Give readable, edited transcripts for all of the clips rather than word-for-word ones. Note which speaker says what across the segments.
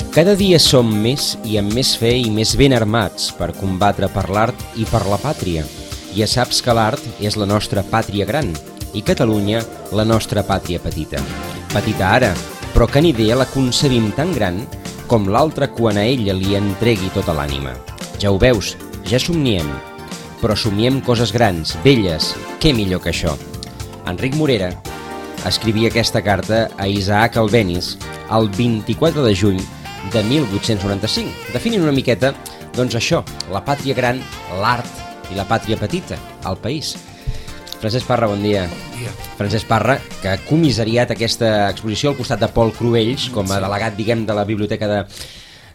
Speaker 1: Cada dia som més i amb més fe i més ben armats per combatre per l'art i per la pàtria. Ja saps que l'art és la nostra pàtria gran i Catalunya la nostra pàtria petita. Petita ara, però que ni idea la concebim tan gran com l'altra quan a ella li entregui tota l'ànima. Ja ho veus, ja somniem, però somiem coses grans, belles, què millor que això? Enric Morera escrivia aquesta carta a Isaac Albéniz el 24 de juny de 1895, definint una miqueta, doncs això, la pàtria gran, l'art i la pàtria petita, el país. Francesc Parra, bon dia.
Speaker 2: Bon dia.
Speaker 1: Francesc Parra, que ha comissariat aquesta exposició al costat de Pol Cruells, com a delegat, diguem, de la Biblioteca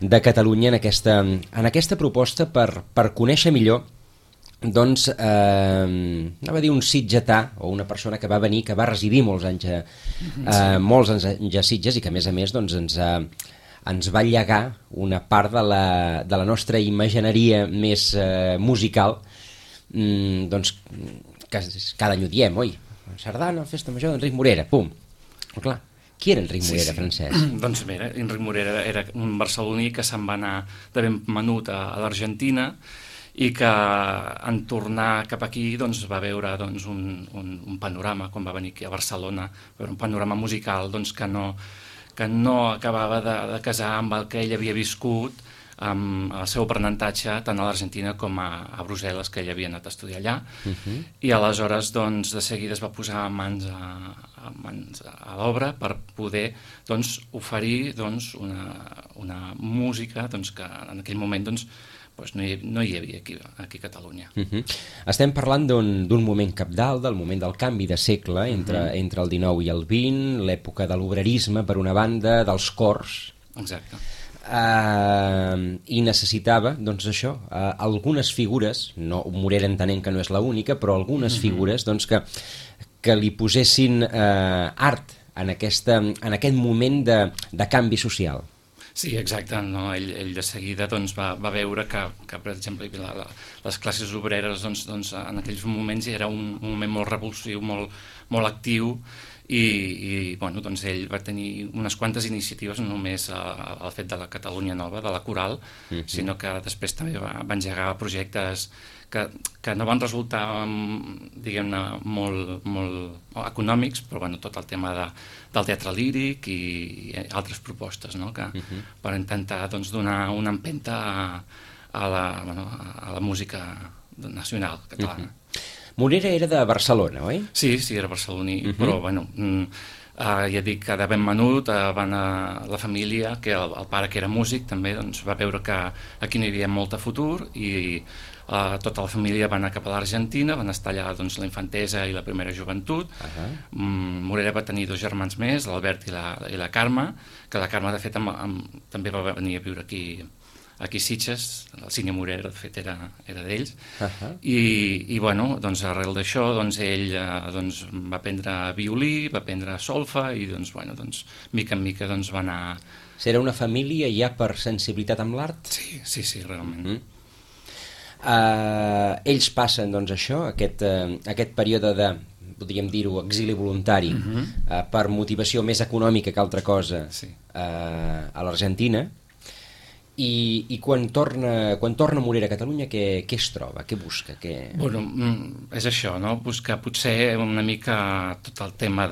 Speaker 1: de Catalunya en aquesta proposta per conèixer millor, doncs, anava a dir un sitgetà, o una persona que va venir, que va residir molts anys a Sitges i que, a més, doncs, ens va llegar una part de la nostra imagineria més musical, doncs, que cada any ho diem, oi? Sardana, Festa Major d'Enric Morera, pum. Però clar, qui era Enric Morera, Francesc?
Speaker 2: Doncs mira, Enric Morera era un barceloní que se'n va anar de ben menut a l'Argentina i que en tornar cap aquí doncs, va veure doncs, un panorama, quan va venir aquí a Barcelona, un panorama musical doncs, que no acabava de casar amb el que ell havia viscut amb el seu aprenentatge tant a l'Argentina com a Brussel·les, que ell havia anat a estudiar allà. I aleshores doncs, de seguida es va posar mans a l'obra per poder doncs, oferir doncs, una música doncs, que en aquell moment doncs, no hi havia aquí a Catalunya.
Speaker 1: Estem parlant d'un moment cabdal, del moment del canvi de segle entre el XIX i el XX, l'època de l'obrerisme, per una banda, dels cors.
Speaker 2: Exacte.
Speaker 1: I necessitava, doncs això, algunes figures, no, Morera entenent que no és l'única, però algunes figures doncs, que li posessin art en aquest moment de canvi social.
Speaker 2: Sí, exacte. No? Ell de seguida doncs, va veure que, per exemple, les classes obreres doncs, en aquells moments era un moment molt revulsiu, molt actiu, i bueno, doncs ell va tenir unes quantes iniciatives, no només el fet de la Catalunya Nova, de la coral, sinó que després també va engegar projectes que no van resultar, diguem-ne, molt econòmics, però bueno, tot el tema del teatre líric i altres propostes, no? Per intentar doncs, donar una empenta a la música nacional catalana.
Speaker 1: Morera era de Barcelona, oi?
Speaker 2: Sí, era barceloní, però bueno, ja dic que de ben menut la família, que el pare que era músic també doncs, va veure que aquí no hi havia molt futur i tota la família va anar cap a l'Argentina, van estar allà doncs, la infantesa i la primera joventut. Morera va tenir 2 germans més, l'Albert i la Carme, que la Carme de fet també va venir a viure aquí a Sitges, el Cine Morera de fet era d'ells, i bueno, doncs arrel d'això doncs, ell doncs, va aprendre violí, va aprendre solfa i doncs, bueno, doncs, mica en mica doncs, va anar...
Speaker 1: Era una família ja per sensibilitat amb l'art?
Speaker 2: Sí, realment.
Speaker 1: Ells passen doncs això, aquest període de, podríem dir-ho, exili voluntari, per motivació més econòmica que altra cosa, a l'Argentina. I quan torna Morera a Catalunya, què es troba? Què busca?
Speaker 2: Bueno, és això, no? Buscar potser una mica tot el tema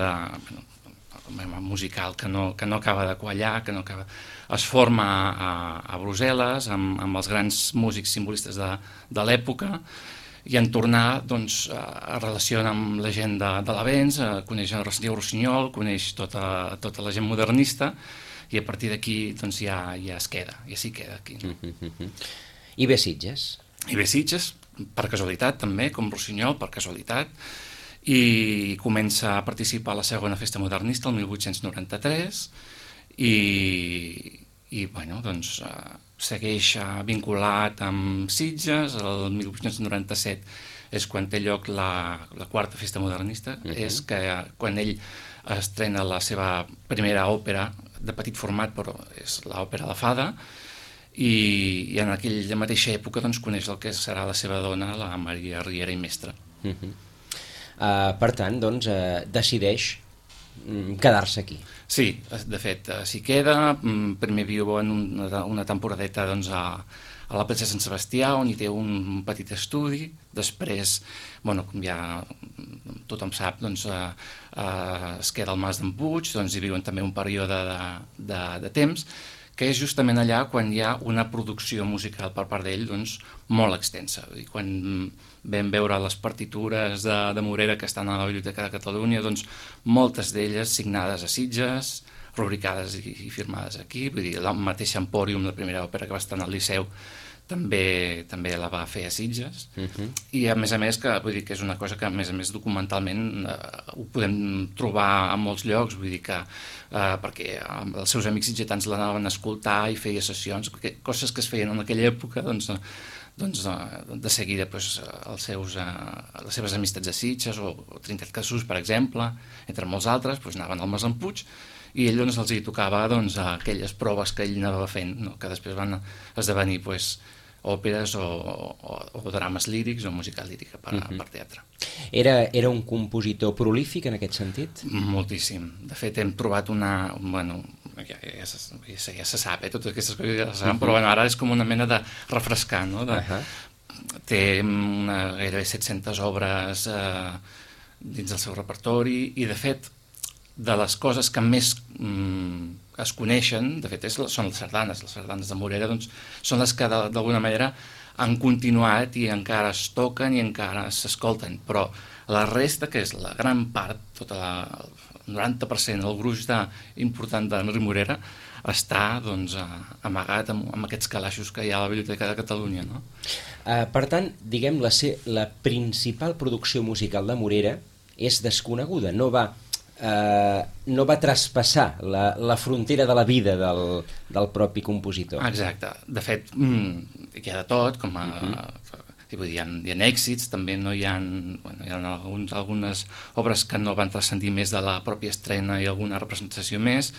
Speaker 2: musical que no acaba de quallar, que no acaba... Es forma a Brussel·les amb els grans músics simbolistes de l'època i en tornar doncs, es relaciona amb la gent de l'Avenç, coneix el Rossinyol, coneix tota la gent modernista i a partir d'aquí doncs, ja s'hi queda aquí.
Speaker 1: I ve Sitges?
Speaker 2: I ve Sitges, per casualitat també, com Rossinyol, per casualitat, i comença a participar a la segona festa modernista el 1893 i bueno, doncs, segueix vinculat amb Sitges. El 1897 és quan té lloc la quarta festa modernista, és que quan ell estrena la seva primera òpera de petit format, però és l'òpera La Fada, i en aquella mateixa època doncs, coneix el que serà la seva dona, la Maria Riera i Mestre.
Speaker 1: Per tant, doncs, decideix quedar-se aquí.
Speaker 2: Sí, de fet, s'hi queda. Primer viu en una temporadeta doncs, a la platja Sant Sebastià, on hi té un petit estudi. Després, bueno, com ja tothom sap, doncs, es queda al Mas d'en Puig, doncs hi viuen també un període de temps, que és justament allà quan hi ha una producció musical per part d'ell doncs, molt extensa. I quan vam veure les partitures de Morera que estan a la Biblioteca de Catalunya, doncs, moltes d'elles signades a Sitges, rubricades i firmades aquí, vull dir, la mateixa Empòrium, la primera òpera que va estar al Liceu, també la va fer a Sitges. I a més, que, vull dir, que és una cosa que a més documentalment ho podem trobar a molts llocs, vull dir que perquè els seus amics sitgetans l'anaven a escoltar i feia sessions, coses que es feien en aquella època, doncs de seguida doncs, les seves amistats a Sitges o Trinitat Cassús, per exemple, entre molts altres, doncs anaven al Mas d'en Puig i ell doncs, els hi tocava doncs, aquelles proves que ell anava fent, no? Que després van esdevenir doncs, òperes o drames lírics o música lírica per teatre.
Speaker 1: Era un compositor prolífic en aquest sentit?
Speaker 2: Moltíssim. De fet, hem trobat ja se sap, totes aquestes coses ja se saben, però ara és com una mena de refrescar, no? Té gairebé 700 obres dins del seu repertori i, de fet, de les coses que més es coneixen, de fet, són les sardanes de Morera, doncs, són les que d'alguna manera han continuat i encara es toquen i encara s'escolten, però la resta, que és la gran part, tot el 90%, el gruix important d'Enric Morera, està doncs, amagat amb aquests calaixos que hi ha a la Biblioteca de Catalunya. No?
Speaker 1: Per tant, diguem, la principal producció musical de Morera és desconeguda, no va traspassar la frontera de la vida del propi compositor.
Speaker 2: Exacte. De fet, hi ha de tot, com hi ha èxits, també hi ha algunes obres que no van transcendir més de la pròpia estrena i alguna representació més,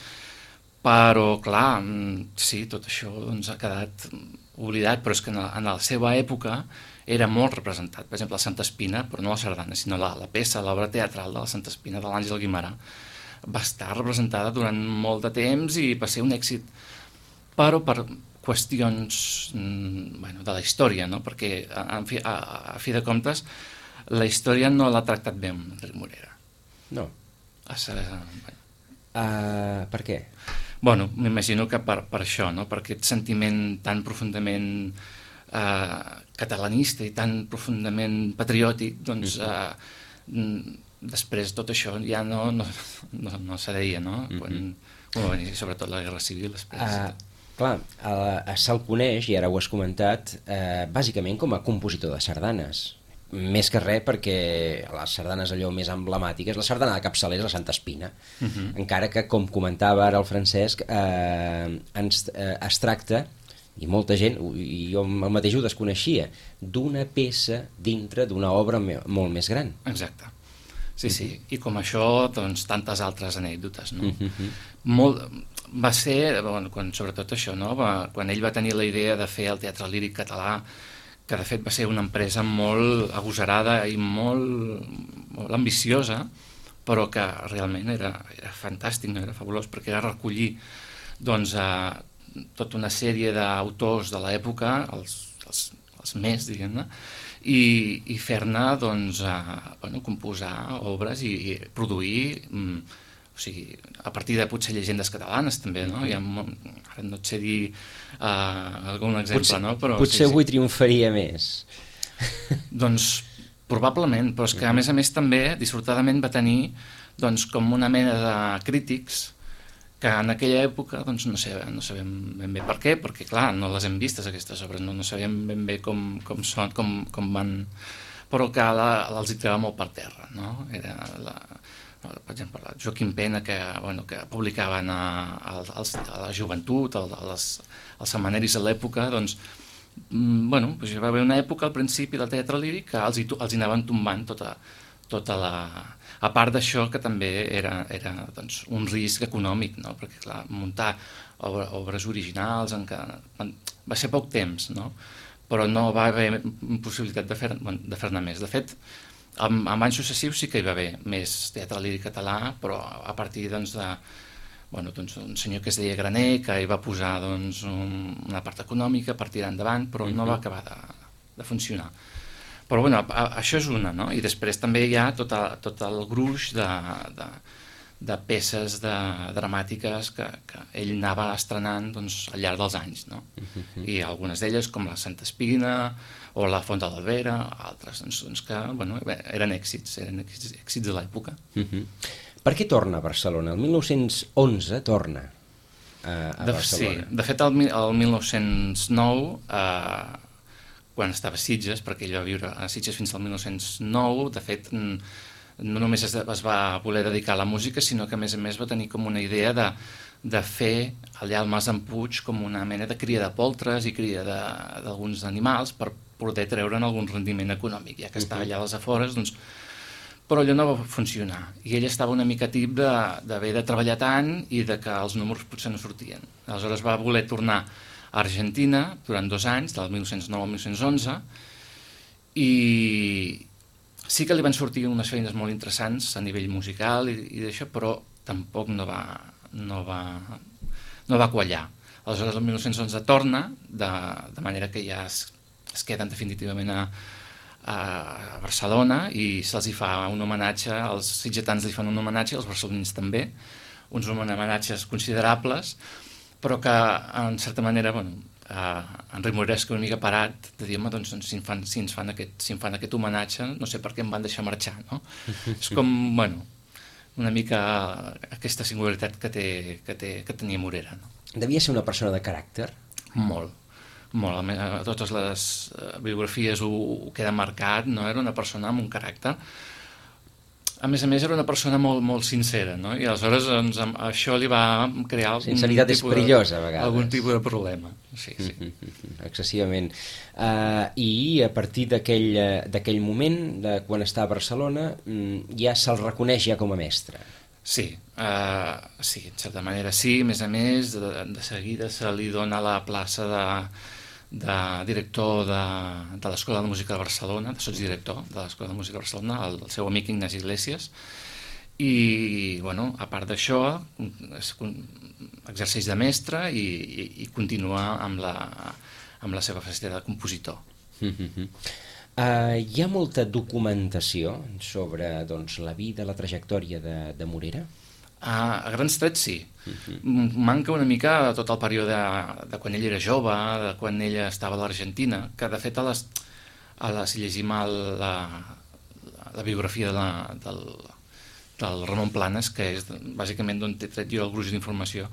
Speaker 2: però, clar, sí, tot això doncs, ha quedat oblidat, però és que en la seva època era molt representat. Per exemple, la Santa Espina, però no la sardana, sinó la peça, l'obra teatral de la Santa Espina de l'Àngel Guimerà, va estar representada durant molt de temps i va ser un èxit, però per qüestions de la història, no? Perquè a fi de comptes la història no l'ha tractat bé amb Enric Morera.
Speaker 1: No. Per què?
Speaker 2: Bueno, m'imagino que per això, no? Per aquest sentiment tan profundament catalanista i tan profundament patriòtic, doncs després tot això ja no se deia, no? Sobretot la Guerra Civil després.
Speaker 1: Clar, se'l coneix, i ara ho has comentat, bàsicament com a compositor de sardanes. Més que res perquè les sardanes allò més emblemàtiques, la sardana de capçaler és la Santa Espina, encara que, com comentava ara el Francesc, es tracta, i molta gent, i jo el mateix ho desconeixia, d'una peça dintre d'una obra molt més gran.
Speaker 2: Exacte. Sí. I com això, doncs, tantes altres anècdotes, no? Va ser, sobretot això, no? Quan ell va tenir la idea de fer el teatre líric català, que de fet va ser una empresa molt agosarada i molt ambiciosa, però que realment era fantàstic, era fabulós, perquè era recollir doncs, tota una sèrie d'autors de l'època, els més, diguem-ne, i fer-ne doncs, composar obres i produir, o sigui, a partir de potser llegendes catalanes també, no? Ara no et sé dir algun exemple, no? Però
Speaker 1: potser avui triomfaria més.
Speaker 2: Doncs probablement, però és que a més també dissortadament va tenir doncs, com una mena de crítics que en aquella època doncs, no sabem ben bé per què, perquè clar, no les hem vistes aquestes obres, no sabem ben bé com són, com van, però que els hi trobava molt per terra, no? Era per exemple, Joaquim Pena, que publicaven a la joventut, als setmanaris de l'època, doncs, hi va haver una època al principi del teatre líric que els hi anaven tombant tota la... A part d'això, que també era doncs, un risc econòmic, no? Perquè, clar, muntar obres originals va ser poc temps, no? Però no va haver possibilitat de fer-ne més. De fet, En anys successius sí que hi va haver més teatre líric català, però a partir doncs, un senyor que es deia Graner, que hi va posar doncs, una part econòmica per tirar endavant, però no va acabar de funcionar. Però bueno, això és una, no? I després també hi ha tot el gruix de peces dramàtiques que ell anava estrenant doncs, al llarg dels anys, no? I algunes d'elles, com la Santa Espina o la Font de l'Albera, altres doncs, que bueno, eren èxits de l'època.
Speaker 1: Per què torna a Barcelona? El 1911 torna a Barcelona.
Speaker 2: Sí, de fet el 1909, quan estava a Sitges, perquè ell va viure a Sitges fins al 1909, de fet no només es va voler dedicar a la música, sinó que a més va tenir com una idea de fer allà al Mas d'en Puig com una mena de cria de poltres i cria d'alguns animals per poder treure'n algun rendiment econòmic, ja que estava allà a les afores, doncs però allò no va funcionar i ell estava una mica tip d'haver de treballar tant i de que els números potser no sortien. Aleshores va voler tornar a Argentina durant 2 anys, del 1909 al 1911, i sí que li van sortir unes feines molt interessants a nivell musical i d'això, però tampoc no va quallar. Aleshores el 1911 torna, de manera que ja es queden definitivament a Barcelona i se'ls hi fa un homenatge, els sitgetans li fan un homenatge, els barcelonins també, uns homenatges considerables, però que en certa manera, en Rimuresca una mica parat, de dir, doncs, si em fan aquest homenatge, no sé per què em van deixar marxar, no? És com, una mica aquesta singularitat que tenia Morera, no?
Speaker 1: Devia ser una persona de caràcter?
Speaker 2: Molt. A totes les biografies ho queda marcat, no? Era una persona amb un caràcter. A més, era una persona molt, molt sincera, no? I aleshores doncs, això li va crear
Speaker 1: sinceritat és perillosa, a vegades.
Speaker 2: Algun tipus de problema. Sí.
Speaker 1: Excessivament. I a partir d'aquell moment, de quan està a Barcelona, ja se'l reconeix ja com a mestre.
Speaker 2: Sí, en certa manera sí. A més, de seguida se li dona la plaça de director de l'Escola de Música de Barcelona, de sotsdirector de l'Escola de Música de Barcelona, el seu amic Ignasi Iglesias, i a part d'això exerceix de mestre i continua amb la seva faceta de compositor.
Speaker 1: Hi ha molta documentació sobre la vida, la trajectòria de Morera?
Speaker 2: A grans trets sí. Manca una mica tot el període de quan ell era jove, de quan ell estava a l'Argentina, que de fet si llegim la biografia del Ramon Planes, que és bàsicament d'on he tret jo el gruix d'informació,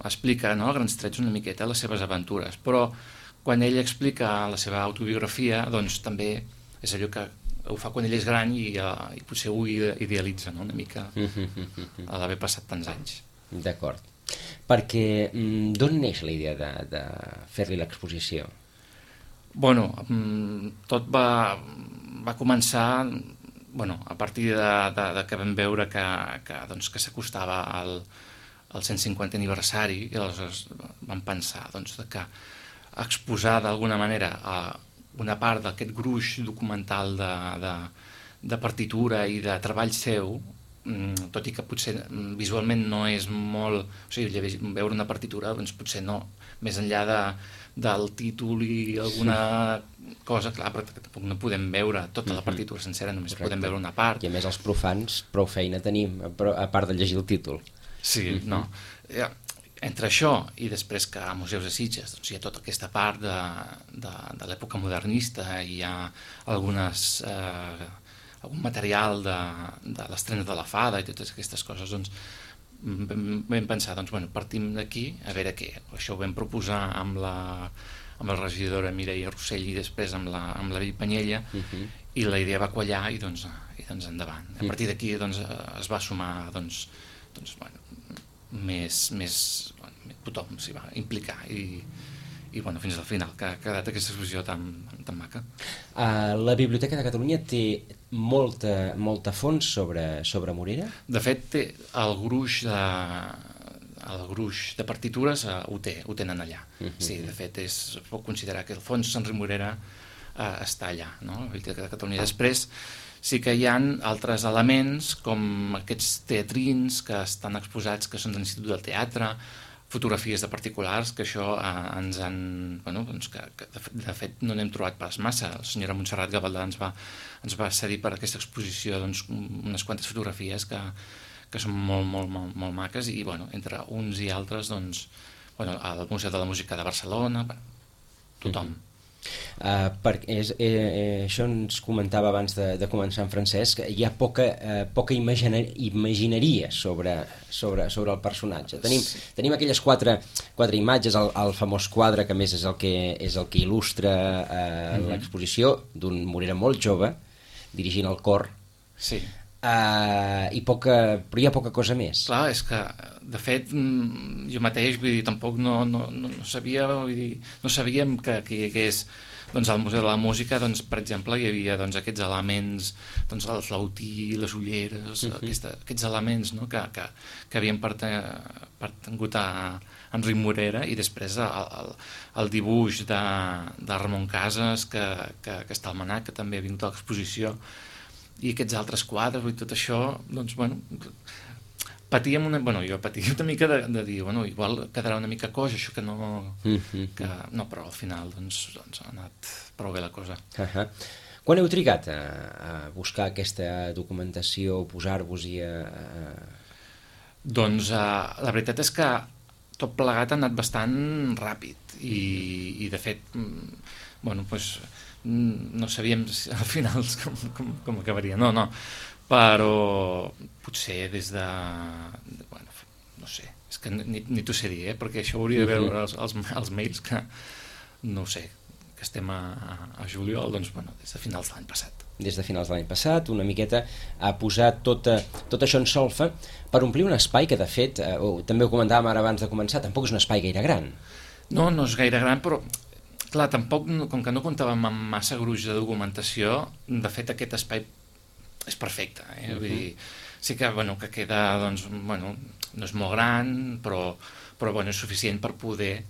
Speaker 2: explica a grans trets una miqueta les seves aventures, però quan ell explica la seva autobiografia, doncs també és allò que ho fa quan ell és gran i potser ho idealitza, no? Una mica a l'haver passat tants anys.
Speaker 1: D'acord. Perquè d'on neix la idea de fer-li l'exposició?
Speaker 2: Tot va començar a partir de que vam veure que s'acostava al 150 aniversari i aleshores vam pensar que exposar d'alguna manera una part d'aquest gruix documental de partitura i de treball seu, tot i que potser visualment no és molt... O sigui, veure una partitura, doncs potser no, més enllà del títol i alguna cosa, clar, però tampoc no podem veure tota la partitura sencera, només podem veure una part.
Speaker 1: I a més els profans prou feina tenim, a part de llegir el títol.
Speaker 2: Sí, no. Entre això i després que a Museus de Sitges hi ha tota aquesta part de l'època modernista i hi ha algun material de l'estrena de la Fada i totes aquestes coses, doncs vam pensar, partim d'aquí a veure què. Això ho vam proposar amb la regidora Mireia Rossell i després amb la Vell Panyella i la idea va quallar i doncs endavant. A partir d'aquí es va sumar tothom s'hi va implicar i fins al final que ha quedat aquesta exposició tan maca.
Speaker 1: La Biblioteca de Catalunya té molta fons sobre Morera?
Speaker 2: De fet té el gruix de partitures ho tenen allà. Sí, de fet es pot considerar que el fons Enric Morera està allà, no? La Biblioteca de Catalunya. Després sí que hi ha altres elements, com aquests teatrins que estan exposats, que són de l'Institut del Teatre, fotografies de particulars, que això ens han... Bueno, doncs que de fet no n'hem trobat pas massa. La senyora Montserrat Gavaldà ens va cedir per aquesta exposició doncs, unes quantes fotografies que són molt maques, i bueno, entre uns i altres, doncs, bueno, al Museu de la Música de Barcelona, tothom.
Speaker 1: Això ens comentava abans de començar en Francesc, hi ha poca imagineria sobre el personatge. Tenim aquelles quatre imatges, el famós quadre que a més és el que il·lustra l'exposició, d'un Morera molt jove dirigint el cor.
Speaker 2: Sí.
Speaker 1: Però hi ha poca cosa més.
Speaker 2: Clar, és que de fet jo mateix, vull dir, tampoc no sabia, vull dir, no sabíem que hi hagués, doncs al Museu de la Música, doncs, per exemple, hi havia doncs, aquests elements, doncs el flautí, les ulleres, aquests elements, no?, que havien pertangut a Enric Morera, i després el dibuix de Ramon Casas, que està al MNAC, que també ha vingut a l'exposició, i aquests altres quadres i tot això, doncs, bueno, jo patia una mica de dir, bueno, igual quedarà una mica coix, això que no... no, però al final doncs ha anat prou bé la cosa.
Speaker 1: Quan heu trigat a buscar aquesta documentació, posar-vos-hi a...
Speaker 2: Doncs la veritat és que tot plegat ha anat bastant ràpid, i de fet, bueno, doncs no sabíem al final com acabaria, no, però potser des de... Bueno, no sé, és que ni t'ho sé dir, perquè això hauria de veure els mails, que no ho sé, que estem a juliol, doncs, bueno, des de finals de l'any passat.
Speaker 1: Des de finals de l'any passat, una miqueta a posar tot això en solfa per omplir un espai que, de fet, també ho comentàvem ara abans de començar, tampoc és un espai gaire gran.
Speaker 2: No és gaire gran, però clar, tampoc, com que no comptàvem amb massa gruix de documentació, de fet aquest espai és perfecte, vull dir, sí que, bueno, que queda, doncs, bueno, no és molt gran, però bueno, és suficient per poder,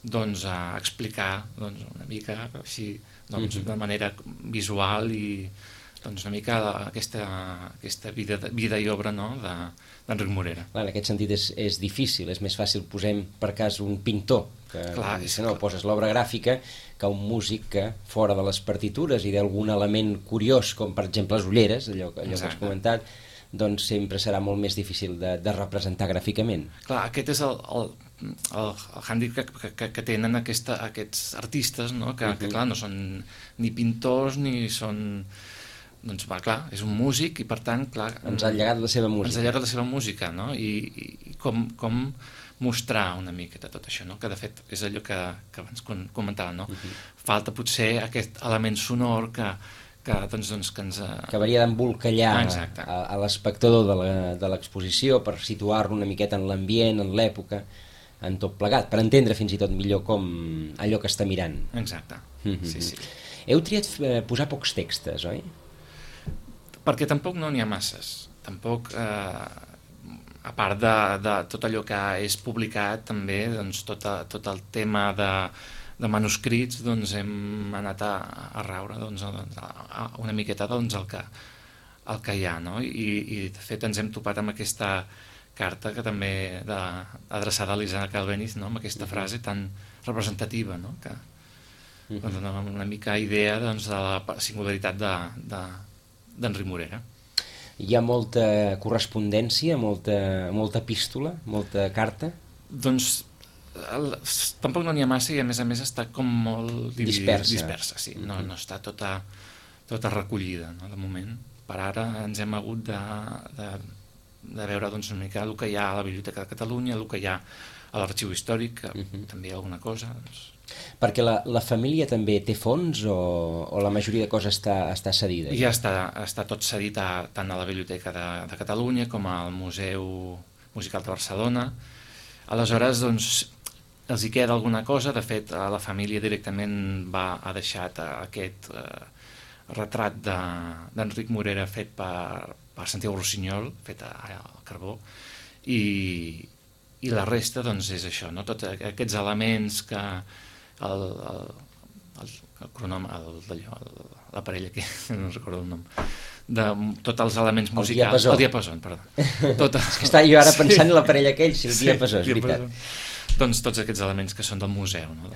Speaker 2: doncs, explicar, doncs, una mica així, doncs, de manera visual, i doncs una mica aquesta vida i obra, no?, d'Enric Morera.
Speaker 1: Clar, en aquest sentit és difícil, és més fàcil, posem per cas un pintor, que si no poses l'obra gràfica, que un músic que fora de les partitures i d'algun element curiós, com per exemple les ulleres, allò que has comentat, doncs sempre serà molt més difícil de representar gràficament.
Speaker 2: Clar, aquest és el hàndicap que tenen aquests artistes, no?, que clar, no són ni pintors ni són... Doncs va, clar, és un músic, i per tant, clar...
Speaker 1: Ens ha llegat la seva música.
Speaker 2: Ens ha llegat la seva música, no? I com mostrar una mica de tot això, no? Que de fet és allò que abans comentava, no? Falta potser aquest element sonor que ens...
Speaker 1: Que hauria d'embolcallar a l'espectador de l'exposició per situar-lo una miqueta en l'ambient, en l'època, en tot plegat, per entendre fins i tot millor com allò que està mirant.
Speaker 2: Exacte, sí.
Speaker 1: Heu triat posar pocs textos, oi?
Speaker 2: Perquè tampoc no n'hi ha masses. Tampoc, a part de tot allò que és publicat, també, doncs, tot el tema de manuscrits, doncs hem anat a raure, doncs, una miqueta, doncs, el que hi ha, no? I de fet ens hem topat amb aquesta carta que també adreçada a l'Isaac Albéniz, no?, amb aquesta frase tan representativa, no?, que dona una mica idea, doncs, de la singularitat d'Enric Morera.
Speaker 1: Hi ha molta correspondència, molta epístola, molta carta?
Speaker 2: Doncs tampoc no n'hi ha massa, i a més està com molt dispersa, sí. No està tota recollida, no?, de moment. Per ara ens hem hagut de veure, doncs, una mica el que hi ha a la Biblioteca de Catalunya, el que hi ha a l'Arxiu Històric, que també hi ha alguna cosa, doncs.
Speaker 1: Perquè la família també té fons, o la majoria de coses està cedida?
Speaker 2: Ja està tot cedit tant a la Biblioteca de Catalunya com al Museu Musical de Barcelona. Aleshores, doncs, els hi queda alguna cosa. De fet, la família directament ha deixat aquest retrat d'Enric Morera fet per Santiago Rossinyol, fet al carbó, i la resta, doncs, és això, no? Tots aquests elements que el l'aparell aquell, no recordo el nom, de tots els elements musicals. El diapasó, perdó.
Speaker 1: És que estava jo ara pensant en l'aparell aquell, sí, el diapasó, és veritat.
Speaker 2: Doncs tots aquests elements que són del museu. No?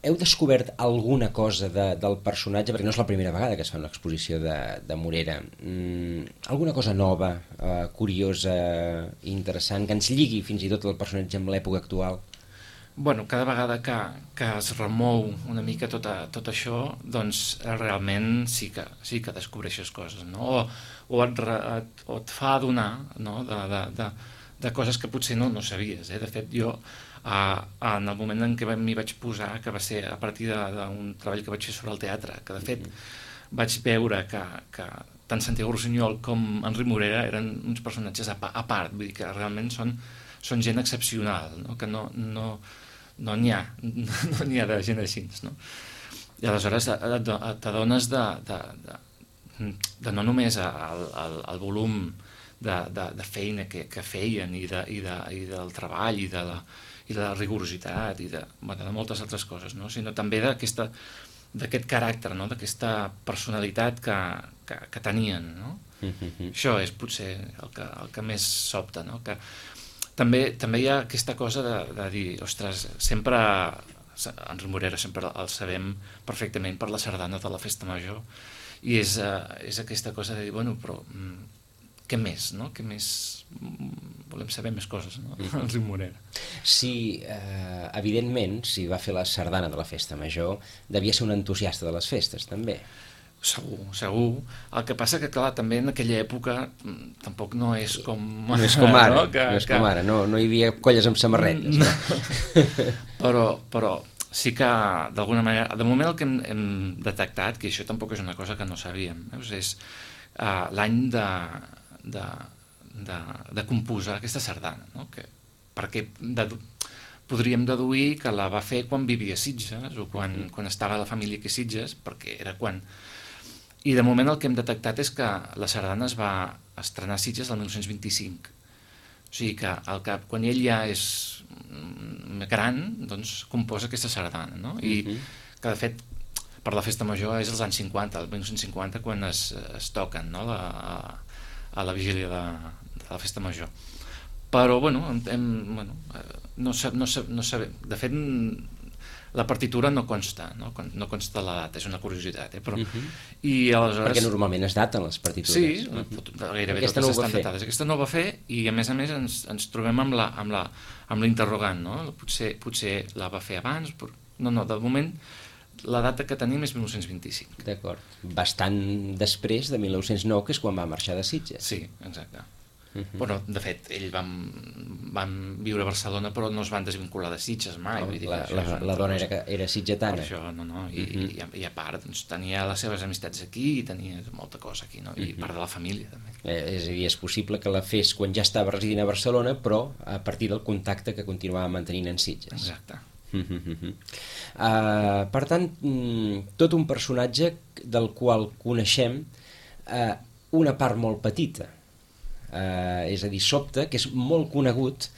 Speaker 1: Heu descobert alguna cosa del personatge, perquè no és la primera vegada que es fa una exposició de Morera, alguna cosa nova, curiosa, interessant, que ens lligui fins i tot el personatge amb l'època actual?
Speaker 2: Bueno, cada vegada que es remou una mica tot això, doncs realment sí que descobreixes coses, no? O et fa adonar, no? de coses que potser no sabies. De fet, jo en el moment en què m'hi vaig posar, que va ser a partir d'un treball que vaig fer sobre el teatre, que de fet vaig veure que tant Santiago Rusiñol com Enric Morera eren uns personatges a part, vull dir que realment són gent excepcional, no? Que no n'hi ha, no n'hi ha de gent així, no? I aleshores t'adones de no només el volum de feina que feien i del treball i de la rigorositat i de moltes altres coses, no? Sinó també d'aquest caràcter, no? D'aquesta personalitat que tenien, no? Això és potser el que més sobta, no? Que també hi ha aquesta cosa de dir, ostres, sempre Enric Morera sempre el sabem perfectament per la sardana de la Festa Major, i és aquesta cosa de dir, bueno, però què més, no? Què més? Volem saber més coses, no? Enric Morera.
Speaker 1: Sí, evidentment, si va fer la sardana de la Festa Major, devia ser un entusiasta de les festes, també.
Speaker 2: Segur. El que passa que, clar, també en aquella època tampoc no és com...
Speaker 1: No és com ara, no hi havia colles amb samarretes.
Speaker 2: No? Però sí que, d'alguna manera, de moment el que hem detectat, que això tampoc és una cosa que no sabíem, és l'any de composar aquesta sardana, no? Perquè podríem deduir que la va fer quan vivia a Sitges o quan estava a la família que Sitges, perquè era quan... I de moment el que hem detectat és que la sardana es va estrenar a Sitges el 1925. O sigui que quan ell ja és gran, doncs composa aquesta sardana, no? I que de fet per la Festa Major és als anys 50, el 1950, quan es toquen, no? A la vigília de la Festa Major. Però, bueno, no sabem. De fet, la partitura no consta la data, és una curiositat, però... I aleshores...
Speaker 1: Perquè normalment es daten les partitures.
Speaker 2: Sí, gairebé totes estan datades. Aquesta no ho va fer, i a més ens trobem amb l'interrogant, no? Potser la va fer abans, però... No, de moment la data que tenim és 1925.
Speaker 1: D'acord. Bastant després de 1909, que és quan va marxar de Sitges.
Speaker 2: Sí, exacte. Bueno, de fet, ells van viure a Barcelona, però no es van desvincular de Sitges mai.
Speaker 1: La dona era sitgetana.
Speaker 2: Per això, no. I a part, doncs, tenia les seves amistats aquí i tenia molta cosa aquí, no? I part de la família, també.
Speaker 1: És a dir, és possible que la fes quan ja estava residint a Barcelona, però a partir del contacte que continuava mantenint en Sitges.
Speaker 2: Exacte.
Speaker 1: Per tant, tot un personatge del qual coneixem una part molt petita, és a dir, sobta que és molt conegut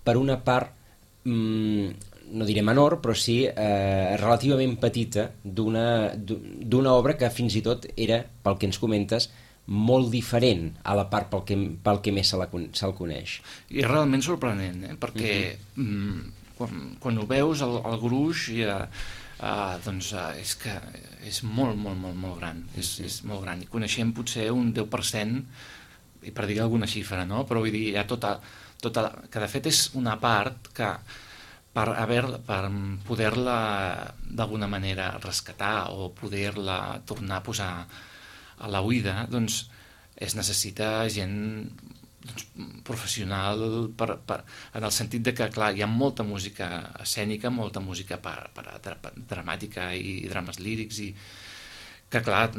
Speaker 1: per una part no diré menor, però sí relativament petita d'una obra que fins i tot era, pel que ens comentes, molt diferent a la part pel que més se'l coneix.
Speaker 2: I és realment sorprenent, perquè quan ho veus, el gruix doncs és que és molt, molt, molt, molt gran. És molt gran. I coneixem potser un 10%, i per dir alguna xifra, no? Però vull dir, hi ha tota que de fet és una part que per poder-la d'alguna manera rescatar o poder-la tornar a posar a la oïda, doncs es necessita gent professional en el sentit de que, clar, hi ha molta música escènica, molta música dramàtica i drames lírics, i que, clar,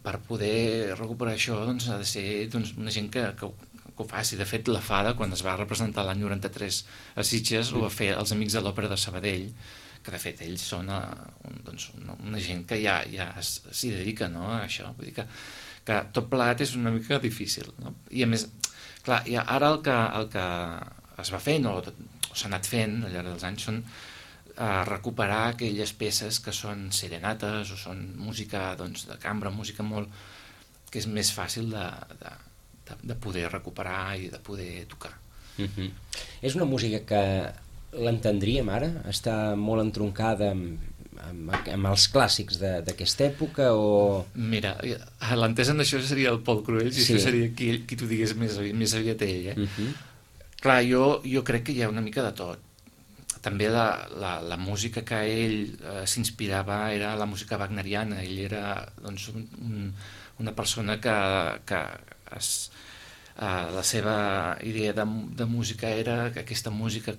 Speaker 2: per poder recuperar això doncs ha de ser una gent que ho faci. De fet, la Fada, quan es va representar l'any 93 a Sitges, ho va fer els Amics de l'Òpera de Sabadell, que de fet ells són una gent que ja s'hi dedica, no, a això. Vull dir que tot plegat és una mica difícil, no? I a més, clar, ara el que es va fent o s'ha anat fent al llarg dels anys són recuperar aquelles peces que són serenates o són música doncs, de cambra, música molt... que és més fàcil de poder recuperar i de poder tocar.
Speaker 1: És una música que l'entendríem ara? Està molt entroncada amb els clàssics d'aquesta època o...
Speaker 2: Mira, l'entès en això seria el Pol Cruells i això seria qui t'ho digués més aviat ell, Clar, jo crec que hi ha una mica de tot. També la música que ell s'inspirava era la música wagneriana. Ell era doncs, una persona que la seva idea de música era aquesta música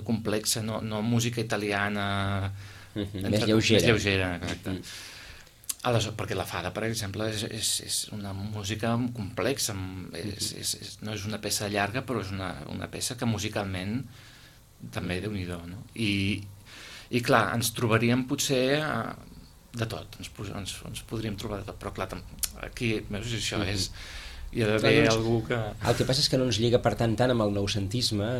Speaker 2: complexa, no música italiana
Speaker 1: més lleugera.
Speaker 2: Exacte. Aleshores, perquè la fada, per exemple, és una música complexa, no és una peça llarga, però és una peça que musicalment també Déu-n'hi-do, no? I clar, ens trobaríem potser de tot, ens podríem trobar de tot, però clar, aquí, veus, això és... Hi ha d'haver algú que...
Speaker 1: El que passa és que no ens lliga per tant amb el noucentisme,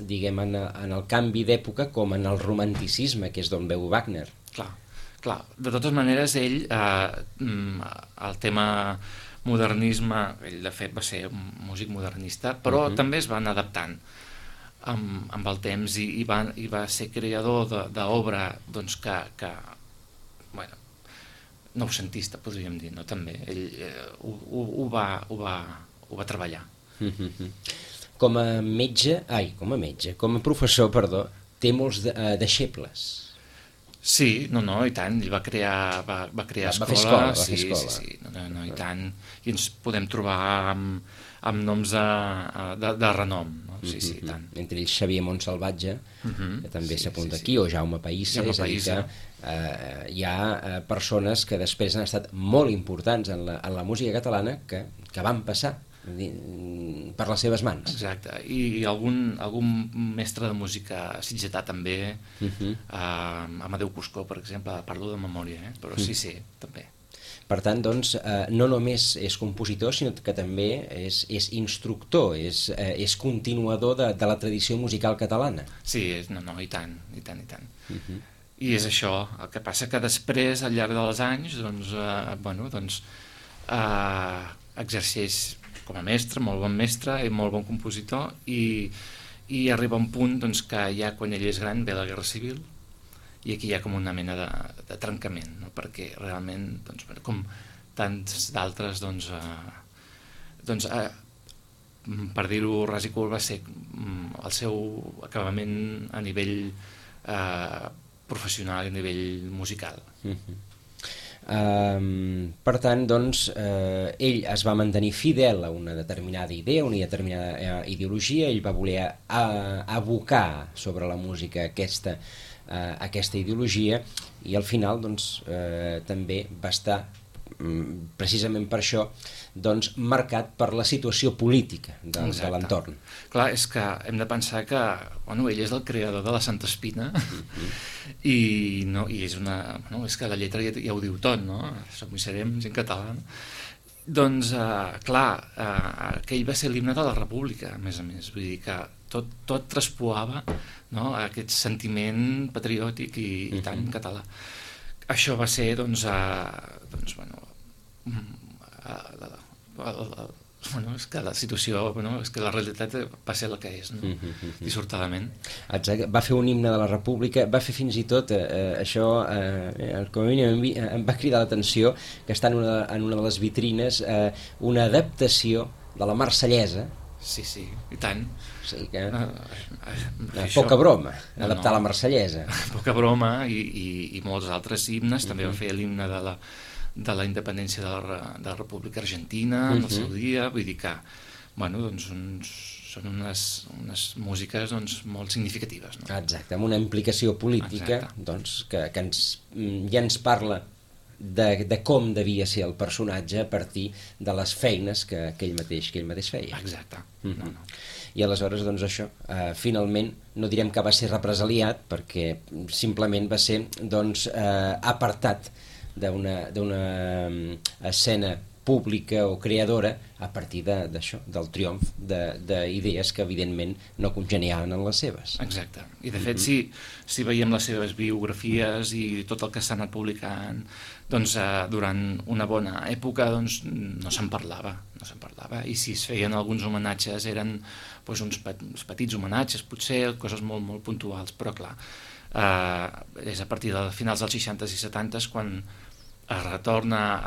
Speaker 1: diguem, en el canvi d'època com en el romanticisme, que és d'on veu Wagner.
Speaker 2: Clar, de totes maneres ell, el tema modernisme, ell de fet va ser un músic modernista, però també es van adaptant amb el temps i va ser creador d'obra doncs, que bueno, noucentista, podríem dir, no? També ell ho va treballar.
Speaker 1: Com a professor, perdó, té molts deixebles.
Speaker 2: Sí, i tant, ell va crear escola, sí, i tant, i ens podem trobar amb noms de renom, no? Sí, i tant.
Speaker 1: Entre ells Xavier Montsalvatge, que també s'apunta aquí, o Jaume Païssa, és a dir que hi ha persones que després han estat molt importants en la música catalana que van passar per les seves mans.
Speaker 2: Exacte, i algun mestre de música sitgetà també, Amadeu Cuscó, per exemple, parlo de memòria, però sí, també.
Speaker 1: Per tant, doncs, no només és compositor, sinó que també és instructor, és continuador de la tradició musical catalana.
Speaker 2: Sí, i tant. I és això, el que passa que després, al llarg dels anys, exerceix com a mestre, molt bon mestre i molt bon compositor, i arriba un punt que ja quan ell és gran ve la Guerra Civil, i aquí hi ha com una mena de trencament, no? Perquè realment, com tants d'altres, per dir-ho ras i curt, va ser el seu acabament a nivell professional i a nivell musical.
Speaker 1: Per tant, doncs, ell es va mantenir fidel a una determinada idea, una determinada ideologia, ell va voler abocar sobre la música aquesta ideologia, i al final doncs, també va estar precisament per això marcat per la situació política de l'entorn.
Speaker 2: Clar, és que hem de pensar que ell és el creador de la Santa Espina i és que la lletra ja ho diu tot, no? Som i serem gent catalana. Doncs, clar, aquell va ser l'himne de la República, a més, vull dir que tot traspuava, no, aquest sentiment patriòtic i tant català. Això va ser, és que la situació, és que la realitat va ser la que és, no? Dissortadament.
Speaker 1: Exacte. Va fer un himne de la República, va fer fins i tot això, com a mínim em va cridar l'atenció, que està en una de les vitrines, una adaptació de la Marsellesa.
Speaker 2: Sí, i tant.
Speaker 1: O sigui que poca broma, adaptar la Marsellesa.
Speaker 2: Poca broma, i molts altres himnes. També va fer l'himne de la independència de la República Argentina en el seu dia. Vull dir que són unes músiques molt significatives, no?
Speaker 1: Exacte, amb una implicació política que ja ens parla de com devia ser el personatge a partir de les feines que ell mateix feia.
Speaker 2: Exacte.
Speaker 1: I aleshores, això, finalment, no direm que va ser represaliat, perquè simplement va ser apartat d'una escena pública o creadora a partir d'això, del triomf d'idees que evidentment no congeniaven en les seves.
Speaker 2: Exacte, i de fet si veiem les seves biografies i tot el que s'ha anat publicant, doncs durant una bona època doncs, no se'n parlava, i si es feien alguns homenatges eren doncs, uns petits homenatges, potser coses molt, molt puntuals, però clar, és a partir de finals dels 60s i 70s quan es retorna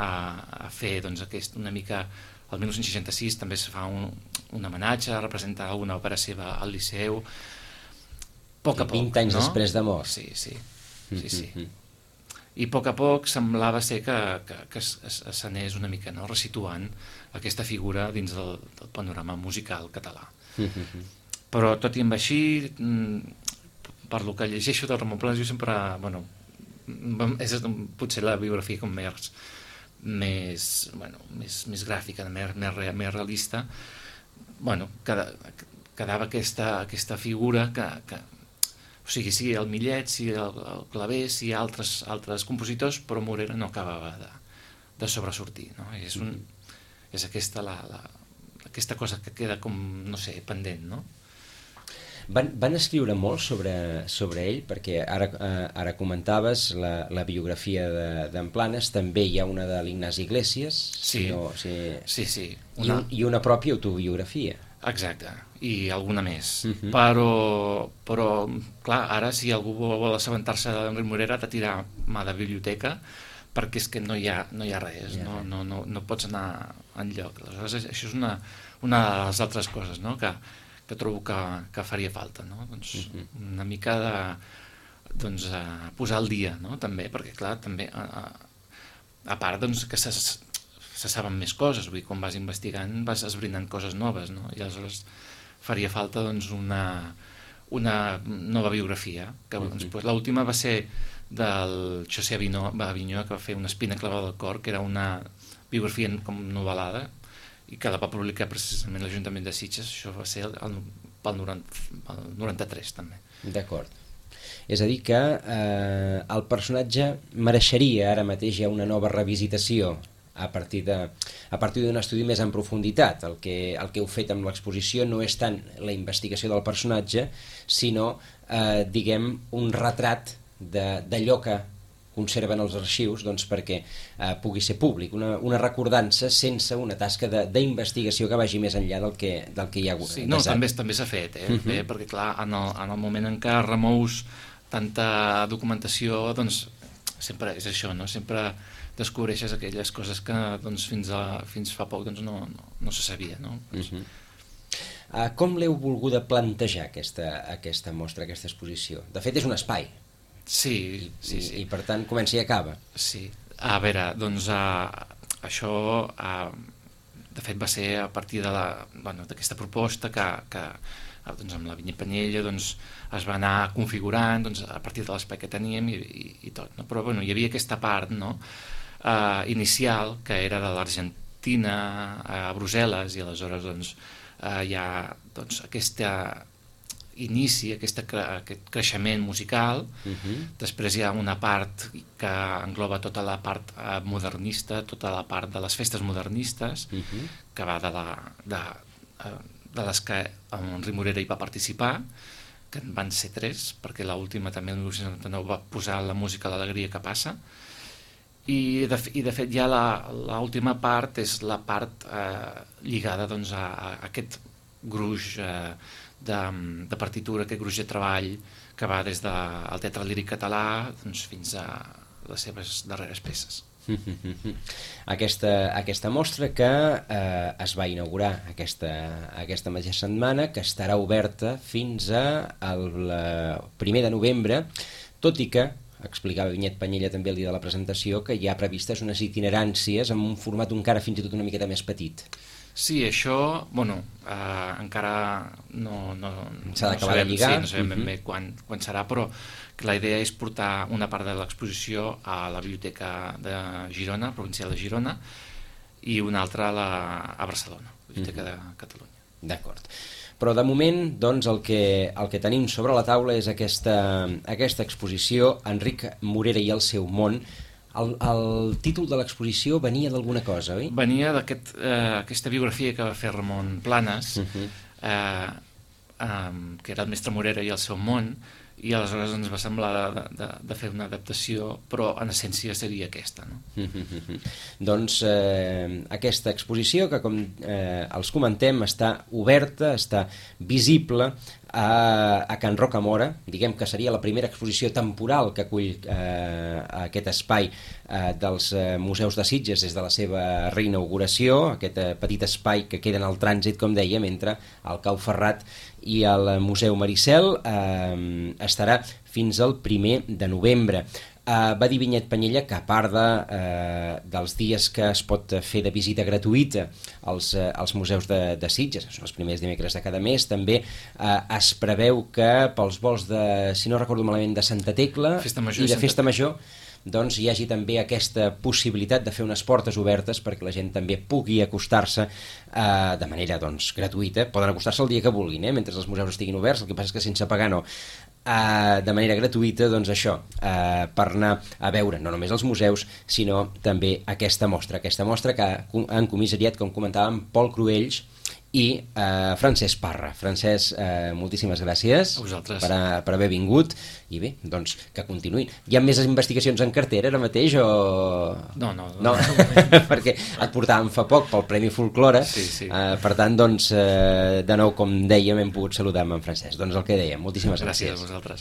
Speaker 2: a fer doncs, una mica. El 1966 també es fa un homenatge a representar una òpera seva al Liceu, a poc,
Speaker 1: 20 anys després de mort.
Speaker 2: Sí. I a poc semblava ser que s'anés una mica, no?, resituant aquesta figura dins del panorama musical català. Però tot i amb així, per lo que llegeixo del Ramon Planas, jo sempre, és potser la biografia com més gràfica, més realista. Quedava aquesta figura que o sigui, sí, el Millet, sí, el Clavé, sí, altres compositors, però Morera no acabava de sobresortir, no? És aquesta cosa que queda com, no sé, pendent, no?
Speaker 1: Van escriure molt sobre ell, perquè ara comentaves la biografia d'en Planas, també hi ha una de l'Ignasi Iglesias,
Speaker 2: sí.
Speaker 1: I una pròpia autobiografia.
Speaker 2: Exacte, i alguna més. Però, clar, ara si algú vol assabentar-se d'Enric Morera ha de tirar mà de biblioteca, perquè és que no hi ha res, no pots anar enlloc. Aleshores, això és una de les altres coses, no?, que trobo que faria falta, no? Doncs una mica de posar al dia, no?, també, perquè clar, també a part doncs, que se saben més coses, vull dir, quan vas investigant vas esbrinant coses noves, no? I aleshores faria falta doncs una nova biografia, que l'última va ser del José Avinyó, que va fer Una espina clavada al cor, que era una biografia com novel·lada, i que la va publicar precisament l'Ajuntament de Sitges. Això va ser pel 93 també.
Speaker 1: D'acord. És a dir que el personatge mereixeria ara mateix ja una nova revisitació a partir d'un estudi més en profunditat. El que heu fet amb l'exposició no és tant la investigació del personatge, sinó diguem un retrat d'allò que conserven els arxius, doncs, perquè pugui ser públic, una recordança sense una tasca d'investigació que vagi més enllà del que hi ha hagut.
Speaker 2: Sí, no, també s'ha fet, perquè clar, en el moment en què remous tanta documentació, doncs sempre és això, no? Sempre descobreixes aquelles coses que doncs, fins fa poc doncs, no se sabia, no?
Speaker 1: Com l'heu volguda plantejar aquesta mostra, aquesta exposició? De fet, és un espai.
Speaker 2: Sí.
Speaker 1: I per tant comença i acaba.
Speaker 2: Sí, a veure, doncs això de fet va ser a partir d'aquesta proposta que doncs, amb la Vinya Panyella doncs, es va anar configurant doncs, a partir de l'espai que teníem i tot, no? Però hi havia aquesta part, no? Inicial, que era de l'Argentina a Brussel·les, i aleshores doncs, hi ha doncs, aquesta inici, aquest creixement musical. Després hi ha una part que engloba tota la part modernista, tota la part de les festes modernistes, que va de les que Enric Morera hi va participar, que en van ser 3, perquè l'última també el 1979 va posar la música a l'alegria que passa, i de fet ja l'última part és la part lligada doncs, a aquest gruix de partitura, aquest gruix de treball que va des del teatre líric català doncs, fins a les seves darreres peces.
Speaker 1: Aquesta mostra que es va inaugurar aquesta mateixa setmana, que estarà oberta fins al 1 de novembre, tot i que explicava Vinyet Panyella també el dia de la presentació que hi ha previstes unes itineràncies en un format encara fins i tot una miqueta més petit.
Speaker 2: Sí, això, encara no
Speaker 1: s'ha d'acabar de lligar.
Speaker 2: Sí, no sabem ben bé quan serà, però la idea és portar una part de l'exposició a la Biblioteca de Girona, provincial de Girona, i una altra a Barcelona, Biblioteca de Catalunya.
Speaker 1: D'acord. Però de moment, doncs, el que tenim sobre la taula és aquesta exposició, Enric Morera i el seu món, El títol de l'exposició venia d'alguna cosa, oi?
Speaker 2: Venia d'aquesta biografia que va fer Ramon Planes, que era el Mestre Morera i el seu món, i aleshores ens va semblar de fer una adaptació, però en essència seria aquesta, no?
Speaker 1: Doncs aquesta exposició, que com els comentem, està oberta, està visible a Can Rocamora, diguem que seria la primera exposició temporal que acull aquest espai dels museus de Sitges des de la seva reinauguració, aquest petit espai que queda en el trànsit, com dèiem, entre el Cau Ferrat i el Museu Maricel. Estarà fins al 1 de novembre. Va dir Vinyet Penyella que, a part dels dies que es pot fer de visita gratuïta als museus de Sitges, que són els primers dimecres de cada mes, també es preveu que pels vols de, si no recordo malament, de Santa Tecla i de Festa Major, doncs hi hagi també aquesta possibilitat de fer unes portes obertes perquè la gent també pugui acostar-se de manera gratuïta. Poden acostar-se el dia que vulguin, mentre els museus estiguin oberts, el que passa és que sense pagar no. De manera gratuïta, doncs això, per anar a veure no només els museus, sinó també aquesta mostra que han comissariat, com comentàvem, Pol Cruells i Francesc Parra. Francesc, moltíssimes gràcies per haver vingut, i bé, doncs que continuï. Hi ha més investigacions en cartera ara mateix o...?
Speaker 2: No.
Speaker 1: Perquè et portàvem fa poc pel Premi Folklore,
Speaker 2: sí.
Speaker 1: Per tant, doncs, de nou, com dèiem, hem pogut saludar amb en Francesc. Doncs el que dèiem, moltíssimes gràcies.
Speaker 2: Gràcies a vosaltres.